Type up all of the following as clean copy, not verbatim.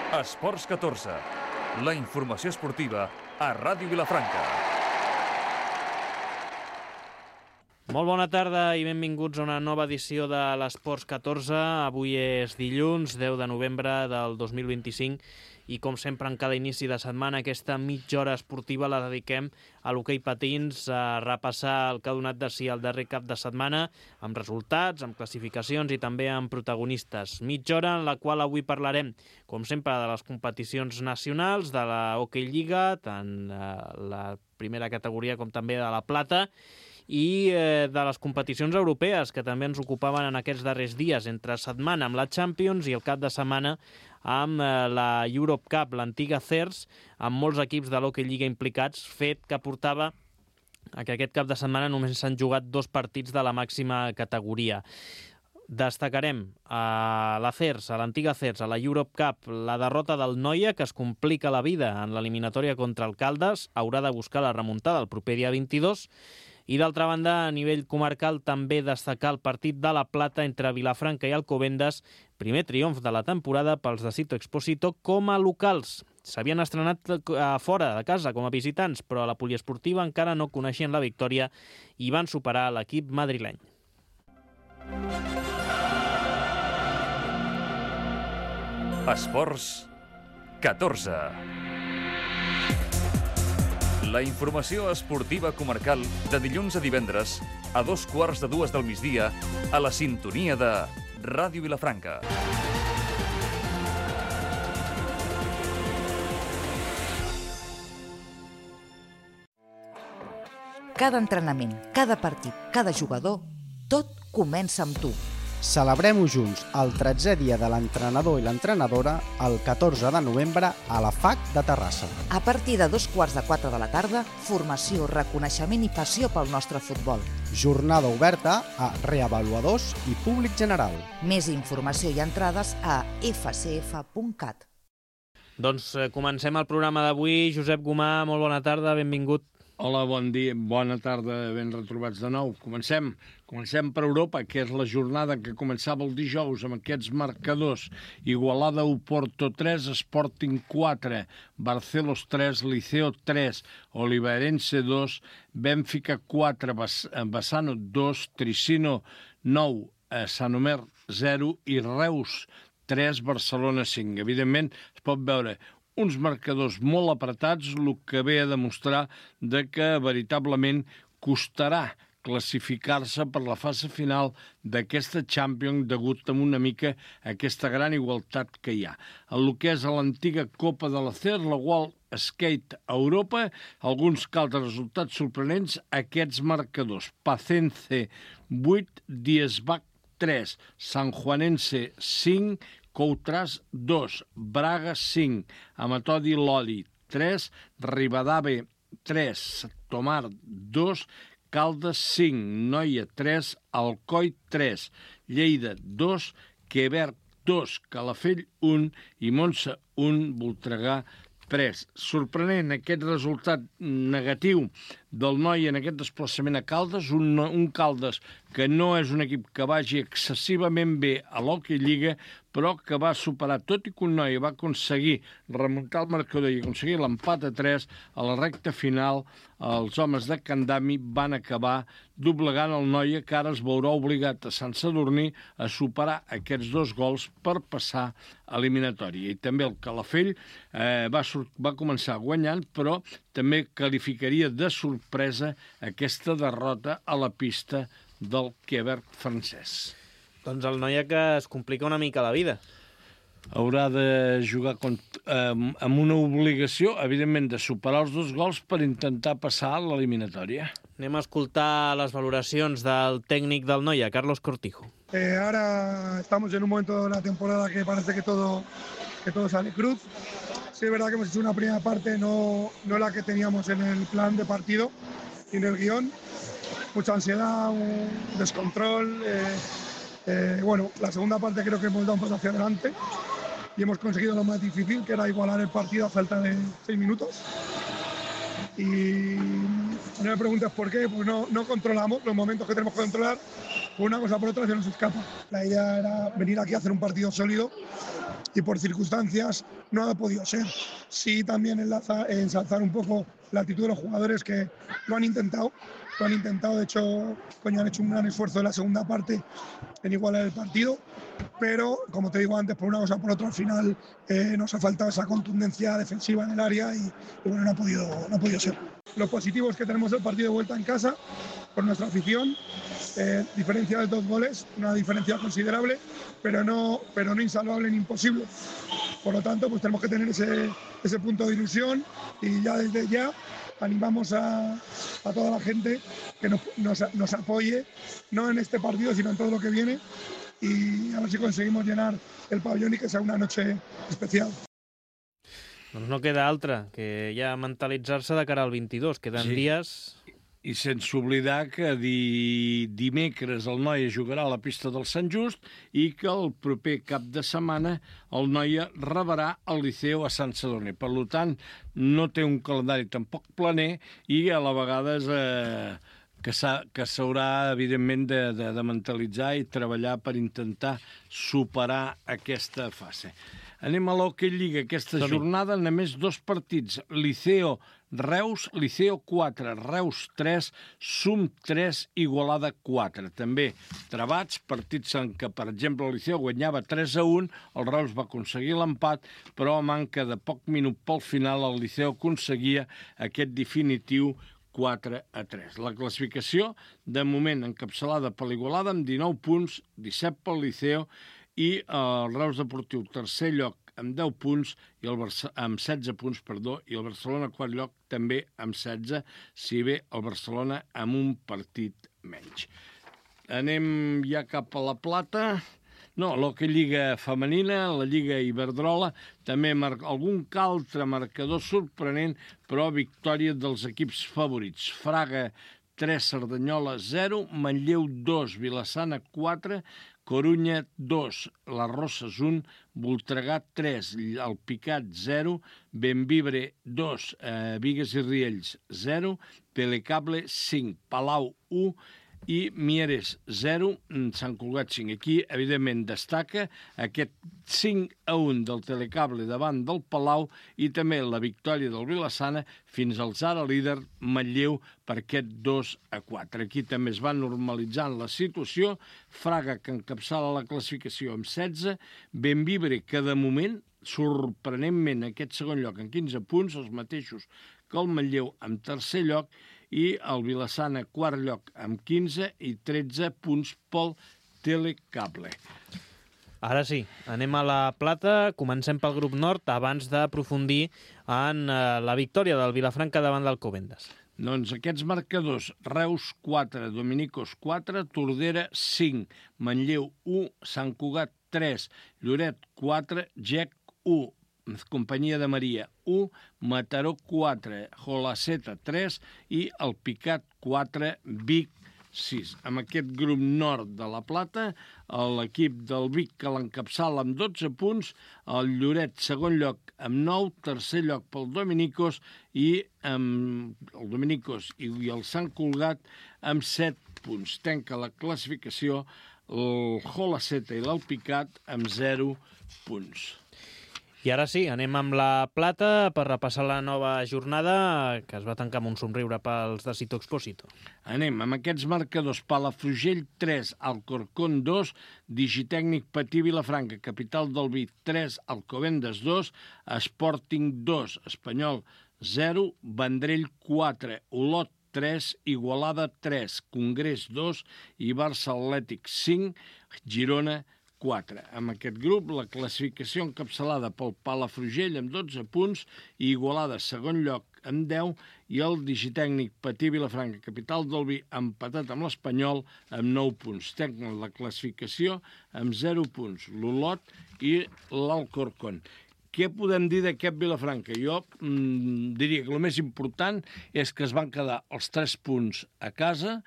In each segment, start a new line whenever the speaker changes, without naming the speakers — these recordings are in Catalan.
Esports 14, la informació esportiva a Ràdio Vilafranca.
Molt bona tarda i benvinguts a una nova edició de l'Esports 14. Avui és dilluns, 10 de novembre del 2025 i com sempre en cada inici de setmana aquesta mitja hora esportiva la dediquem a l'hoquei patins, a repassar el que ha donat de si el darrer cap de setmana amb resultats, amb classificacions i també amb protagonistes. Mitja hora en la qual avui parlarem, com sempre, de les competicions nacionals, de la Hockey Lliga, tant la primera categoria com també de la plata, i de les competicions europees que també ens ocupaven en aquests darrers dies, entre setmana amb la Champions i el cap de setmana amb la Europe Cup, l'antiga CERS, amb molts equips de l'Hockey Lliga implicats, fet que portava a que aquest cap de setmana només s'han jugat 2 partits de la màxima categoria. Destacarem a la CERS, a l'antiga CERS, a la Europe Cup, la derrota del Noia, que es complica la vida en l'eliminatòria contra el Caldes, haurà de buscar la remuntada el proper dia 22, i d'altra banda, a nivell comarcal, també destacar el partit de la Plata entre Vilafranca i Alcobendas, primer triomf de la temporada pels de Cito Exposito com a locals. S'havien estrenat fora de casa com a visitants, però a la poliesportiva encara no coneixien la victòria i van superar l'equip madrileny.
Esports 14. La informació esportiva comarcal de dilluns a divendres a 2:15 del migdia a la sintonia de Ràdio Vilafranca.
Cada entrenament, cada partit, cada jugador, tot comença amb tu.
Celebrem-ho junts el 13è dia de l'entrenador i l'entrenadora el 14 de novembre a la FAC de Terrassa.
A partir de 3:45 de la tarda, formació, reconeixement i passió pel nostre futbol.
Jornada oberta a reavaluadors i públic general.
Més informació i entrades a fcf.cat.
Doncs comencem el programa d'avui. Josep Gomà, molt bona tarda, benvingut.
Hola, bon dia, bona tarda, ben retrobats de nou. Comencem per Europa, que és la jornada que començava el dijous amb aquests marcadors. Igualada 1, Porto 3, Sporting 4, Barcelos 3, Liceo 3, Oliveirense 2, Benfica 4, Bassano 2, Tricino 9, Saint-Omer 0 i Reus 3, Barcelona 5. Evidentment, es pot veure uns marcadors molt apretats, el que ve a demostrar que veritablement costarà classificar-se per la fase final d'aquesta Champions degut a una mica a aquesta gran igualtat que hi ha. El que és a l'antiga Copa de la CER, la World Skate Europa, alguns caldes resultats sorprenents, aquests marcadors. Pacense 8, Diesbach 3, Sanjuanense 5, Coutras 2, Braga 5, Amatodi Lodi 3, Ribadave 3, Tomar 2, Caldes 5, Noia 3, Alcoi 3, Lleida 2, Quebec 2, Calafell 1 i Montse 1, Voltregà 3. Sorprenent aquest resultat negatiu del Noia en aquest desplaçament a Caldes, un Caldes que no és un equip que vagi excessivament bé a l'Hockey Lliga, però que va superar, tot i que un Noia va aconseguir remuntar el marcador i aconseguir l'empat a 3, a la recta final els homes de Candami van acabar doblegant el Noia, que ara es veurà obligat a Sant Sadurní a superar aquests 2 gols per passar a eliminatòria. I també el Calafell va començar guanyant, però també qualificaria de sorpresa aquesta derrota a la pista del Quebec francès.
Doncs el Noia que es complica una mica la vida.
Haurà de jugar amb una obligació, evidentment, de superar els 2 gols per intentar passar a l'eliminatòria.
Anem a escoltar les valoracions del tècnic del Noia, Carlos Cortijo.
Ahora estamos en un momento de la temporada que parece que todo sale cruz. Sí, es verdad que hemos hecho una primera parte no la que teníamos en el plan de partido y en el guión. Mucha ansiedad, un descontrol. Bueno, la segunda parte creo que hemos dado un paso hacia adelante y hemos conseguido lo más difícil, que era igualar el partido a falta de 6 minutos. Y no me preguntes por qué, pues no controlamos los momentos que tenemos que controlar por una cosa o por otra se nos escapa. La idea era venir aquí a hacer un partido sólido y por circunstancias no ha podido ser. Sí, también ensalzar un poco la actitud de los jugadores que lo han intentado, de hecho, han hecho un gran esfuerzo en la segunda parte en igualar el partido, pero como te digo antes, por una cosa o por otra, al final nos ha faltado esa contundencia defensiva en el área y bueno, no ha podido ser. Los positivos que tenemos del partido de vuelta en casa, por nuestra afición, diferencia de 2 goles, una diferencia considerable, pero no insalvable ni imposible. Por lo tanto, pues tenemos que tener ese punto de ilusión y ya desde ya animamos a toda la gente que nos apoye, no en este partido, sino en todo lo que viene, y a ver si conseguimos llenar el pabellón y que sea una noche especial.
Doncs no queda altra que ja mentalitzar-se de cara al 22. Queden dies...
I sense oblidar que dimecres el Noia jugarà a la pista del Sant Just i que el proper cap de setmana el Noia rebrà el Liceo a Sant Sadurní. Per tant, no té un calendari tampoc planer i a la vegada és que s'haurà, evidentment, de mentalitzar i treballar per intentar superar aquesta fase. Anem a l'Hockey Lliga. Aquesta jornada només 2 partits. Liceo-Reus, Liceo 4, Reus 3, Sum 3, Igualada 4. També trebats, partits en què, per exemple, el Liceo guanyava 3-1, el Reus va aconseguir l'empat, però a manca de poc minut pel final el Liceo aconseguia aquest definitiu 4-3. La classificació, de moment, encapçalada per l'Igualada amb 19 punts, 17 pel Liceo, i el Reus Deportiu, tercer lloc, amb 10 punts, amb 16 punts, i el Barcelona, quart lloc, també amb 16, si bé el Barcelona amb un partit menys. Anem ja cap a la plata. No, l'Hockey Lliga femenina, la Lliga Iberdrola, també algun altre marcador sorprenent, però victòria dels equips favorits. Fraga 3, Cerdanyola 0, Manlleu 2, Vilassana 4, Corunya 2, les Roses 1, Voltregà 3, el Picat 0, Bembibre 2, Bigues i Riells 0, Telecable 5, Palau 1 i Mieres 0, Sant Cugat 5. Aquí, evidentment, destaca aquest 5-1 del Telecable davant del Palau i també la victòria del Vilassana fins al ara líder Manlleu per aquest 2-4. Aquí també es va normalitzant la situació. Fraga, que encapçala la classificació amb 16, Bembibre, que de moment, sorprenentment, aquest segon lloc amb 15 punts, els mateixos que el Manlleu amb tercer lloc, i el Vilassana quart lloc amb 15 i 13 punts pel Telecable.
Ara sí, anem a la plata, comencem pel grup nord abans d'aprofundir en la victòria del Vilafranca davant d'Alcobendas.
Doncs aquests marcadors: Reus 4, Dominicos 4, Tordera 5, Manlleu 1, Sant Cugat 3, Lloret 4, Gec 1, Companyia de Maria 1, Mataró 4, Jolaceta 3 i el Picat 4, Vic 6. Amb aquest grup nord de la Plata, l'equip del Vic, que l'encapçala amb 12 punts, el Lloret segon lloc amb 9, tercer lloc pel Dominicos i el Dominicos i el Sant Cugat amb 7 punts. Tanca la classificació el Jolaceta i l'Alpicat amb 0 punts.
I ara sí, anem amb la plata per repassar la nova jornada que es va tancar amb un somriure pels de Sito Expósito.
Anem amb aquests marcadors: Palafrugell 3, Alcorcón 2, Digitècnic Patí Vilafranca, Capital del Vi 3, Alcobendas 2, Sporting 2, Espanyol 0, Vendrell 4, Olot 3, Igualada 3, Congrés 2 i Barça Atlètic 5, Girona 4. Amb aquest grup, la classificació encapçalada pel Palafrugell amb 12 punts i Igualada segon lloc amb 10 i el Digitècnic Patí Vilafranca, Capital del Vi, empatat amb l'Espanyol amb 9 punts. Tenen la classificació amb 0 punts, l'Olot i l'Alcorcón. Què podem dir d'aquest Vilafranca? Jo diria que el més important és que es van quedar els 3 punts a casa,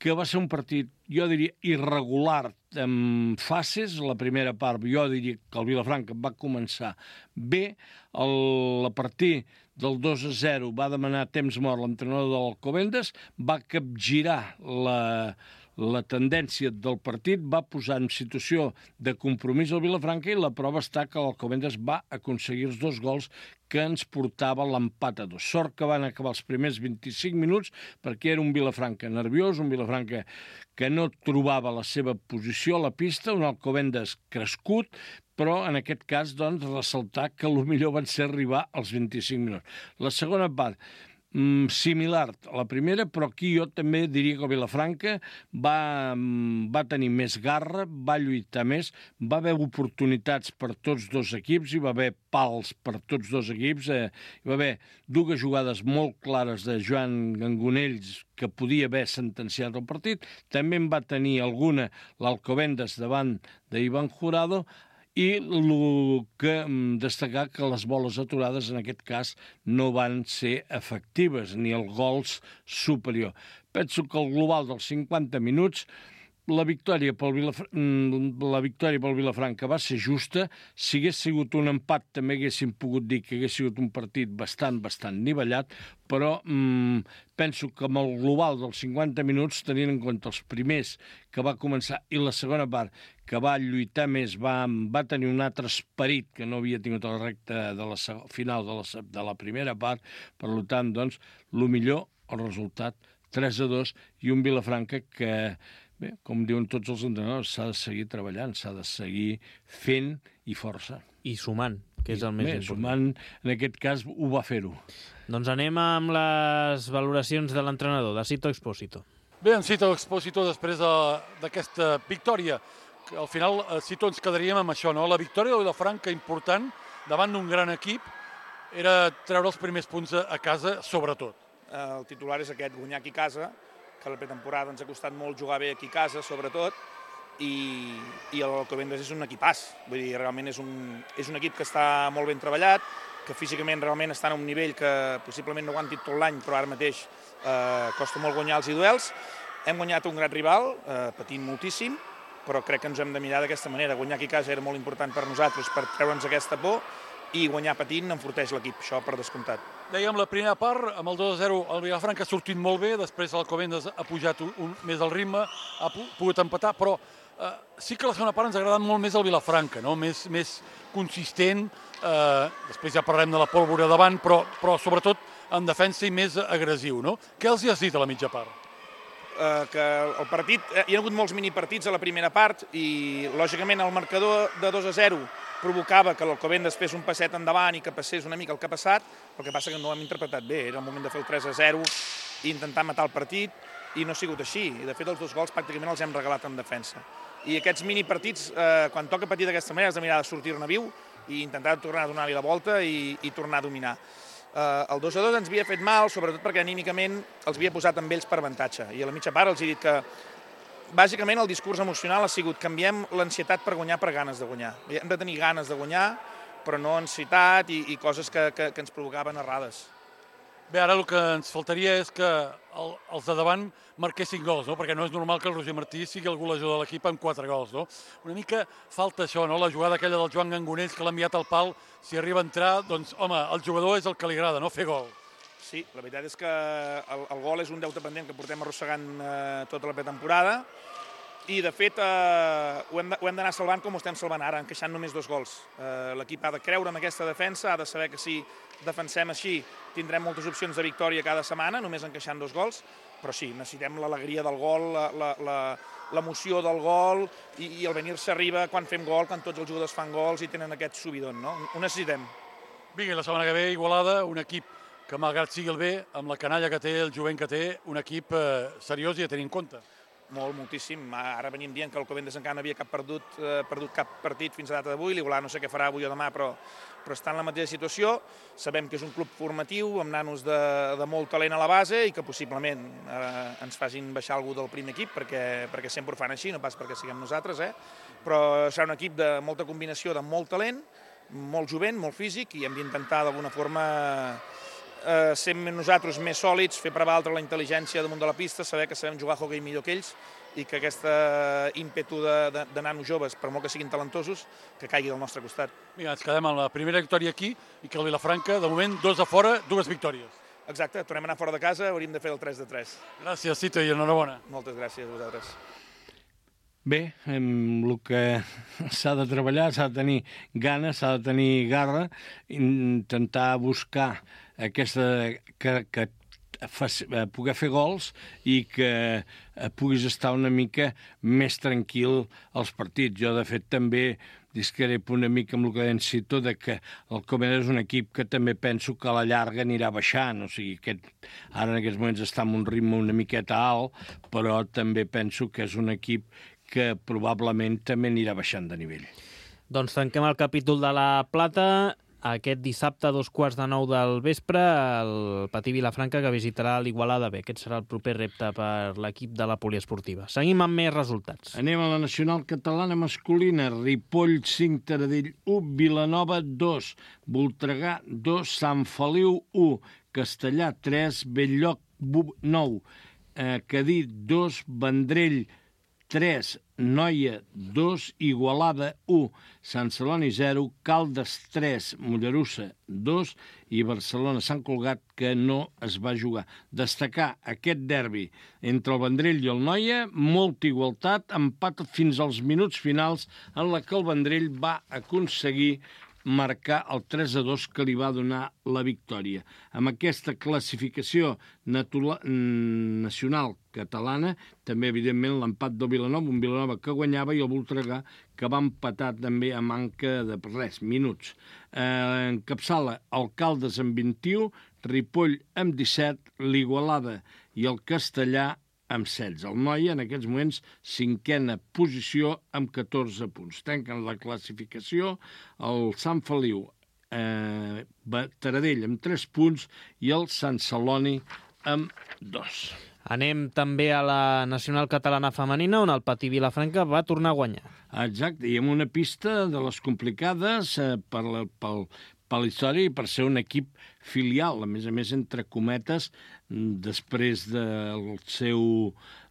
que va ser un partit, jo diria, irregular en fases. La primera part, jo diria que el Vilafranca va començar bé. A partir del 2-0 va demanar temps mort l'entrenador de l'Alcobendas, va capgirar la tendència del partit va posar en situació de compromís al Vilafranca i la prova està que l'Alcobendas va aconseguir els 2 gols que ens portava l'empat a 2. Sort que van acabar els primers 25 minuts perquè era un Vilafranca nerviós, un Vilafranca que no trobava la seva posició a la pista, un Alcobendas crescut, però en aquest cas, doncs, ressaltar que el millor van ser arribar als 25 minuts. La segona part, similar a la primera, però aquí jo també diria que el Vilafranca va tenir més garra, va lluitar més, va haver oportunitats per tots 2 equips, hi va haver pals per tots 2 equips, hi va haver 2 jugades molt clares de Joan Gangonells que podia haver sentenciat el partit, també en va tenir alguna l'Alcobendas davant d'Ivan Jurado, i el que destacar que les boles aturades en aquest cas no van ser efectives, ni el gols superior. Penso que el global dels 50 minuts la victòria pel Vilafranca va ser justa. Si hagués sigut un empat també haguéssim pogut dir que hagués sigut un partit bastant nivellat, però penso que amb el global dels 50 minuts, tenint en compte els primers que va començar i la segona part que va lluitar més, va tenir un altre esperit que no havia tingut a la recta de la final de la primera part, per tant, doncs, el millor, el resultat 3-2 i un Vilafranca que, bé, com diuen tots els entrenadors, s'ha de seguir treballant, s'ha de seguir fent i força.
I sumant, que és el més important.
Sumant, en aquest cas, ho va fer-ho.
Doncs anem amb les valoracions de l'entrenador, de Sito Expósito.
Bé, en Sito Expósito, després d'aquesta victòria, que al final Sito ens quedaríem amb això, no? La victòria de Vilafranca important, davant d'un gran equip, era treure els primers punts a casa, sobretot.
El titular és aquest, guanyar aquí a casa, que la pretemporada ens ha costat molt jugar bé aquí a casa, sobretot, i l'Alcobendas és un equipàs. Vull dir, realment és un equip que està molt ben treballat, que físicament realment està en un nivell que possiblement no aguanti tot l'any, però ara mateix costa molt guanyar els duels. Hem guanyat un gran rival, patint moltíssim, però crec que ens hem de mirar d'aquesta manera. Guanyar aquí a casa era molt important per nosaltres, per treure'ns aquesta por, i guanyar patint enforteix l'equip, això per descomptat.
Dèiem la primera part, amb el 2-0 el Vilafranca ha sortit molt bé, després l'Alcobendas ha pujat més el ritme, ha pogut empatar, però sí que la segona part ens ha agradat molt més el Vilafranca, no? Més consistent, després ja parlarem de la pólvora davant, però sobretot en defensa i més agressiu, no? Què els hi has dit a la mitja part?
Que el partit, hi ha hagut molts minipartits a la primera part i lògicament el marcador de 2-0 provocava que l'Alcobendas fes un passet endavant i que passés una mica el que ha passat, el que passa que no ho hem interpretat bé, era el moment de fer el 3-0 i intentar matar el partit i no ha sigut així, i de fet els 2 gols pràcticament els hem regalat en defensa. I aquests minipartits, quan toca patir d'aquesta manera, has de mirar de sortir-ne viu i intentar tornar a donar-li la volta i tornar a dominar. El 2-2 ens havia fet mal, sobretot perquè anímicament els havia posat amb ells per avantatge. I a la mitja part els he dit que, bàsicament, el discurs emocional ha sigut canviem l'ansietat per guanyar per ganes de guanyar. Hem de tenir ganes de guanyar, però no ansietat i coses que ens provocaven errades.
Bé, ara el que ens faltaria és que els de davant marquessin gols, no? Perquè no és normal que el Roger Martí sigui el golejador de l'equip amb 4 gols, no? Una mica falta això, no? La jugada aquella del Joan Gangonells que l'ha enviat al pal, si arriba a entrar, doncs, home, el jugador és el que li agrada, no? Fer gol.
Sí, la veritat és que el gol és un deute pendent que portem arrossegant tota la pretemporada i, de fet, ho hem d'anar salvant com ho estem salvant ara, encaixant només 2 gols. L'equip ha de creure en aquesta defensa, ha de saber que si defensem així tindrem moltes opcions de victòria cada setmana, només encaixant 2 gols, però sí, necessitem l'alegria del gol, l'emoció del gol i el venir-se arriba quan fem gol, quan tots els jugadors fan gols i tenen aquest subidon, no? Ho necessitem.
Vinga, la setmana que ve, Igualada, un equip que, malgrat sigui el bé, amb la canalla que té, el jovent que té, un equip seriós i a tenir en compte.
Moltíssim. Ara venim dient que el Alcobendas encara no havia perdut cap partit fins a data d'avui. L'Igualada no sé què farà avui o demà, però està en la mateixa situació. Sabem que és un club formatiu, amb nanos de molt talent a la base i que possiblement ens facin baixar algú del primer equip, perquè sempre ho fan així, no pas perquè siguem nosaltres, però serà un equip de molta combinació, de molt talent, molt jovent, molt físic, i hem d'intentar d'alguna forma ser nosaltres més sòlids, fer prevaldre la intel·ligència damunt de la pista, saber que sabem jugar a hoquei millor que ells i que aquest ímpetu de nanos joves, per molt que siguin talentosos, que caigui del nostre costat.
Vinga, ens quedem amb la primera victòria aquí i que el Vilafranca, de moment, 2 a fora, 2 victòries.
Exacte, tornem a anar fora de casa, hauríem de fer el 3-3.
Gràcies, Cito, i enhorabona.
Moltes gràcies a vosaltres.
Bé, el que s'ha de treballar, s'ha de tenir ganes, s'ha de tenir garra, intentar buscar aquesta que poder fer gols i que puguis estar una mica més tranquil als partits. Jo, de fet, també discrepo una mica amb el que deia Cito, que el Comèdia és un equip que també penso que a la llarga anirà baixant. O sigui, ara en aquests moments està en un ritme una miqueta alt, però també penso que és un equip que probablement també anirà baixant de nivell.
Doncs tanquem el capítol de la Plata. Aquest dissabte a 8:45 del vespre, el Patí Vilafranca, que visitarà l'Igualada B. Aquest serà el proper repte per l'equip de la poliesportiva. Seguim amb més resultats.
Anem a la nacional catalana masculina. Ripoll 5, Taradell 1, Vilanova 2, Voltregà 2, Sant Feliu 1, Castellà 3, Bell-lloc 9, Cadí 2, Vendrell 3, Noia 2, Igualada 1, Sant Celoni 0, Caldes 3, Mollerussa 2 i Barcelona-Sant Cugat, que no es va jugar. Destacar aquest derbi entre el Vendrell i el Noia, molta igualtat, empat fins als minuts finals en la que el Vendrell va aconseguir marcar el 3-2 que li va donar la victòria. Amb aquesta classificació nacional catalana, també, evidentment, l'empat del Vilanova, un Vilanova que guanyava, i el Voltregà, que va empatar també a manca de minuts. Encapçala el Caldes amb 21, Ripoll amb 17, l'Igualada i el Castellà amb 16. El Noia, en aquests moments, 5a posició amb 14 punts. Tanquen la classificació el Sant Feliu, Taradell amb 3 punts i el Sant Celoni amb 2.
Anem també a la nacional catalana femenina, on el Patí Vilafranca va tornar a guanyar.
Exacte, i amb una pista de les complicades per la història i per ser un equip filial, a més, entre cometes, després de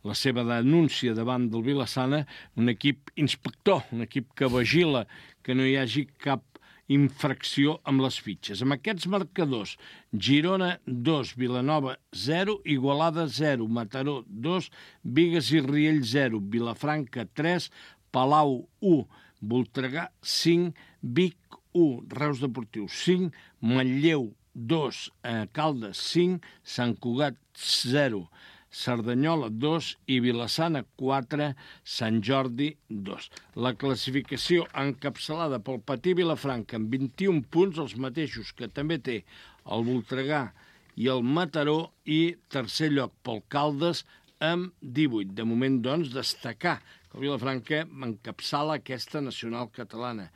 la seva denúncia davant del Vilassana, un equip inspector, un equip que vigila que no hi hagi cap infracció amb les fitxes. Amb aquests marcadors, Girona 2, Vilanova 0, Igualada 0, Mataró 2, Bigues i Riell 0, Vilafranca 3, Palau 1, Voltregà 5, Vic 1, Reus Deportiu 5, Manlleu 2, Caldes 5, Sant Cugat 0, Cerdanyola 2 i Vilassana 4, Sant Jordi 2. La classificació encapçalada pel Patí Vilafranca amb 21 punts, els mateixos que també té el Voltregà i el Mataró, i tercer lloc pel Caldes amb 18. De moment, doncs, destacar que el Vilafranca encapçala aquesta nacional catalana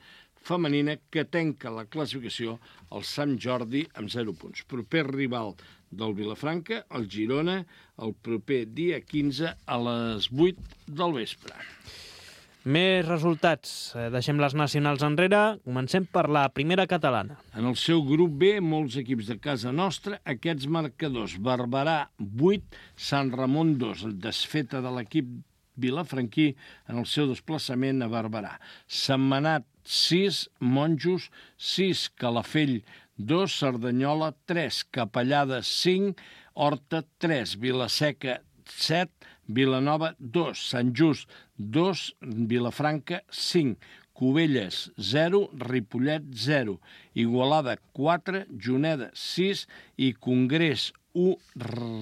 femenina, que tanca la classificació al Sant Jordi amb 0 punts. Proper rival del Vilafranca, el Girona, el proper dia 15 a les 8 del vespre.
Més resultats. Deixem les nacionals enrere. Comencem per la primera catalana.
En el seu grup B, molts equips de casa nostra, aquests marcadors: Barberà 8, Sant Ramon 2, desfeta de l'equip vilafranquí en el seu desplaçament a Barberà. Sentmenat 6, Monjos 6, Calafell 2, Cerdanyola 3, Capellada 5, Horta 3, Vilaseca 7, Vilanova 2, Sant Just 2, Vilafranca 5, Cubelles 0, Ripollet 0, Igualada 4, Juneda 6 i Congrés 1,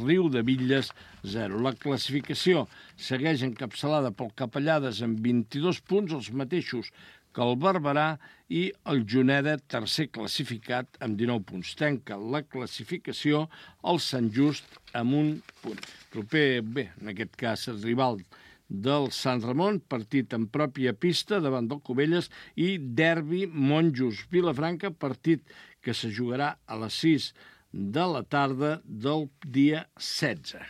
Riu de Villes 0. La classificació segueix encapçalada pel Capellades amb 22 punts, els mateixos que el Barberà, i el Juneda, tercer classificat, amb 19 punts. Tanca la classificació el Sant Just amb 1 punt. Proper, bé, en aquest cas, el rival del Sant Ramon, partit en pròpia pista davant del Cubelles, i derbi Monjos-Vilafranca, partit que se jugarà a les 6 de la tarda del dia 16.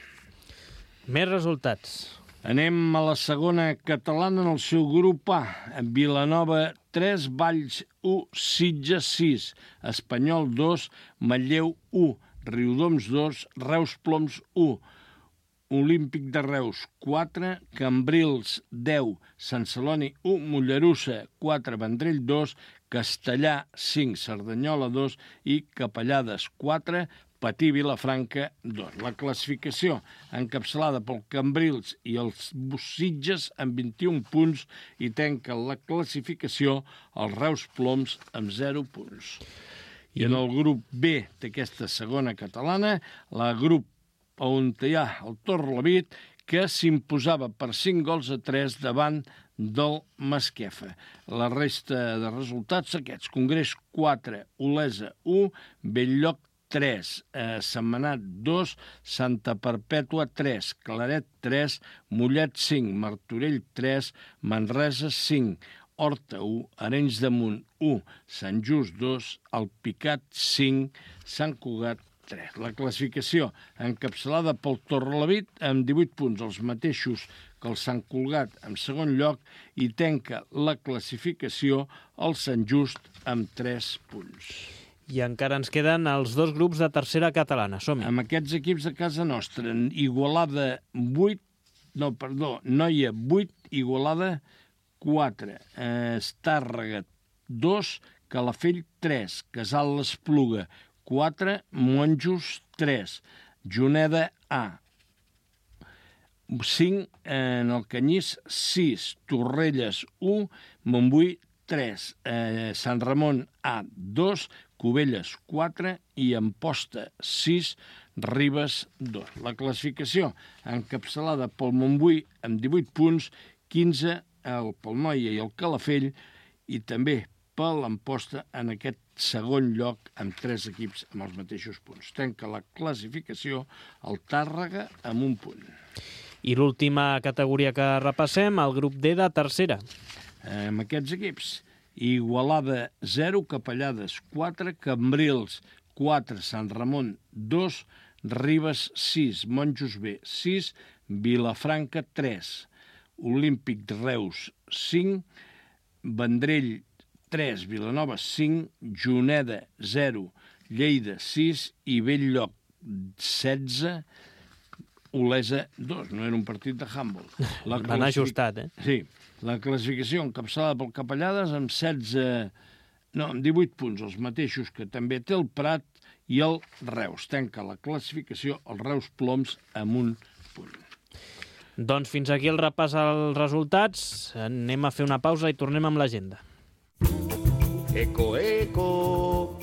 Més resultats.
Anem a la segona catalana en el seu grup A. Vilanova 3, Valls 1, Sitges 6, Espanyol 2, Manlleu 1, Riudoms 2, Reus Ploms 1, Olímpic de Reus 4, Cambrils 10, Sant Celoni 1, Mollerussa 4, Vendrell 2, Castellà 5, Cerdanyola 2 i Capellades 4, Patí Vilafranca 2. La classificació encapçalada pel Cambrils i els Sitges amb 21 punts i tanca la classificació els Reus Ploms amb 0 punts. I en el grup B d'aquesta segona catalana, la grup on hi ha el Torrelavit, que s'imposava per 5-3 davant del Masquefa. La resta de resultats aquests: Congrés 4, Olesa 1, Belllloc 3, Sentmenat 2, Santa Perpètua 3, Claret 3, Mollet 5, Martorell 3, Manresa 5, Horta 1, Arenys de Munt 1, Sant Just 2, Alpicat 5, Sant Cugat 3. La classificació encapçalada pel Torrelavit amb 18 punts, els mateixos que el Sant Cugat en segon lloc, i tanca la classificació el Sant Just amb 3 punts.
I encara ens queden els dos grups de tercera catalana. Som-hi.
Amb aquests equips de casa nostra, Igualada 8, Noia 8, Igualada 4, Estàrrega 2, Calafell 3, Casal l'Espluga 4, Monjos 3, Juneda A 5, en el Canyís 6, Torrelles 1, Montbui 3, Sant Ramon A 2, Cubelles 4 i Amposta 6, Ribes 2. La classificació encapçalada pel Montbui amb 18 punts, 15 pel Noia i el Calafell, i també per l'Amposta en aquest segon lloc amb 3 equips amb els mateixos punts. Tanca la classificació el Tàrrega amb 1 punt.
I l'última categoria que repassem, el grup D de tercera.
Amb aquests equips, Igualada 0, Capellades 4, Cambrils 4, Sant Ramon 2, Ribes 6, Monjos B 6, Vilafranca 3, Olímpic de Reus 5, Vendrell 3, Vilanova 5, Juneda 0, Lleida 6 i Belllloc 16, Olesa 2. No era un partit de handball.
Van ajustat,
Sí. La classificació encapçalada pel Capellades amb 18 punts, els mateixos que també té el Prat i el Reus. Tanca la classificació els Reus Ploms amb 1 punt.
Doncs fins aquí el repàs als resultats. Anem a fer una pausa i tornem amb l'agenda.
Eco, eco!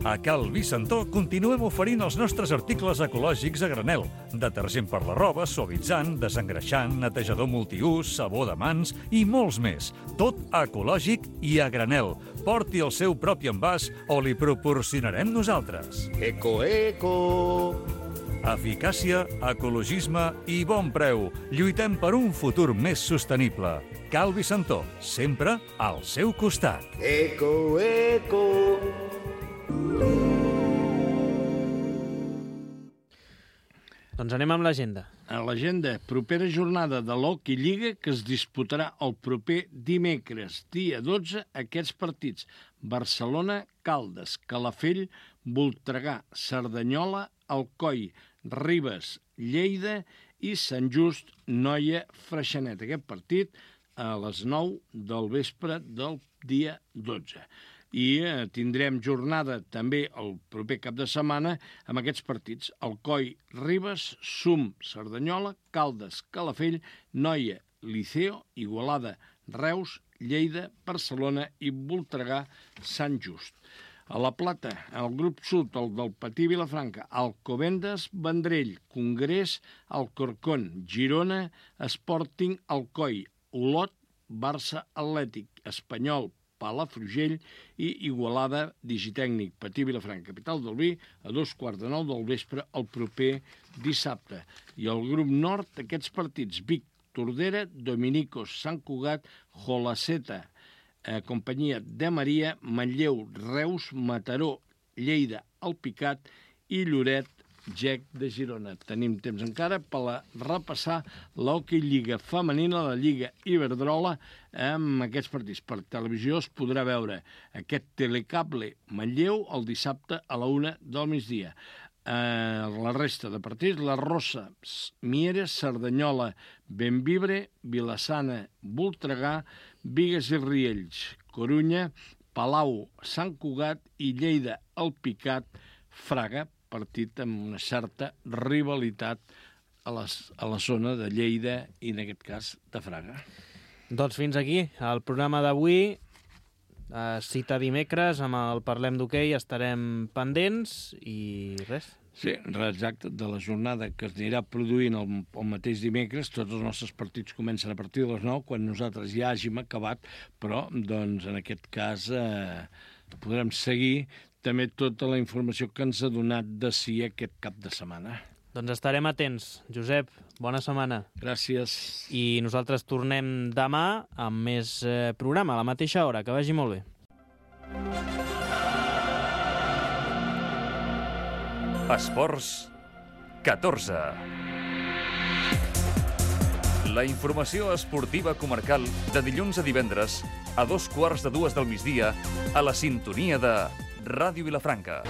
A Cal Vicentó continuem oferint els nostres articles ecològics a granel. Detergent per la roba, suavitzant, desengreixant, netejador multiús, sabó de mans i molts més. Tot ecològic i a granel. Porti el seu propi envàs o li proporcionarem nosaltres.
Eco, eco!
Eficàcia, ecologisme i bon preu. Lluitem per un futur més sostenible. Cal Vicentó, sempre al seu costat.
Eco, eco!
Doncs anem amb l'agenda.
A l'agenda, propera jornada de l'Hockey Lliga que es disputarà el proper dimecres, dia 12, aquests partits: Barcelona, Caldes, Calafell, Voltregà, Cerdanyola, Alcoi, Ribes, Lleida i Sant Just, Noia, Freixenet. Aquest partit a les 9 del vespre del dia 12. I tindrem jornada també el proper cap de setmana amb aquests partits: Alcoi, Ribes, Sum, Cerdanyola, Caldes, Calafell, Noia, Liceo, Igualada, Reus, Lleida, Barcelona i Voltregà, Sant Just. A la Plata, el grup sud, el del Patí Vilafranca, Alcobendas, Vendrell, Congrés, Alcorcón, Girona, Sporting, Alcoi, Olot, Barça Atlètic, Espanyol, Palafrugell i Igualada, Digitècnic, Patí Vilafranca, capital del vi, a 9:15 del vespre el proper dissabte. I el grup nord, aquests partits: Vic, Tordera, Dominicos, Sant Cugat, Jolaceta, Companyia de Maria, Manlleu, Reus, Mataró, Lleida, Alpicat i Lloret, GEC de Girona. Tenim temps encara per repassar l'Hockey Lliga femenina, la Lliga Iberdrola, amb aquests partits. Per televisió es podrà veure aquest Telecable Manlleu el dissabte a la 1 del migdia. La resta de partits: la Rosa, Mieres, Cerdanyola, Benvibre, Vilassana, Voltregà, Bigues i Riells, Corunya, Palau, Sant Cugat i Lleida, Alpicat, Fraga, partit amb una certa rivalitat a la zona de Lleida i, en aquest cas, de Fraga.
Doncs fins aquí el programa d'avui. Cita dimecres amb el Parlem d'Hoquei, estarem pendents i res.
Sí, exacte, de la jornada que es anirà produint el mateix dimecres. Tots els nostres partits comencen a partir de les 9, quan nosaltres ja hàgim acabat, però doncs, en aquest cas podrem seguir també tota la informació que ens ha donat de si aquest cap de setmana.
Doncs estarem atents. Josep, bona setmana.
Gràcies.
I nosaltres tornem demà amb més programa, a la mateixa hora. Que vagi molt bé.
Esports 14. La informació esportiva comarcal de dilluns a divendres a 2:15 del migdia a la sintonia de Ràdio Vilafranca.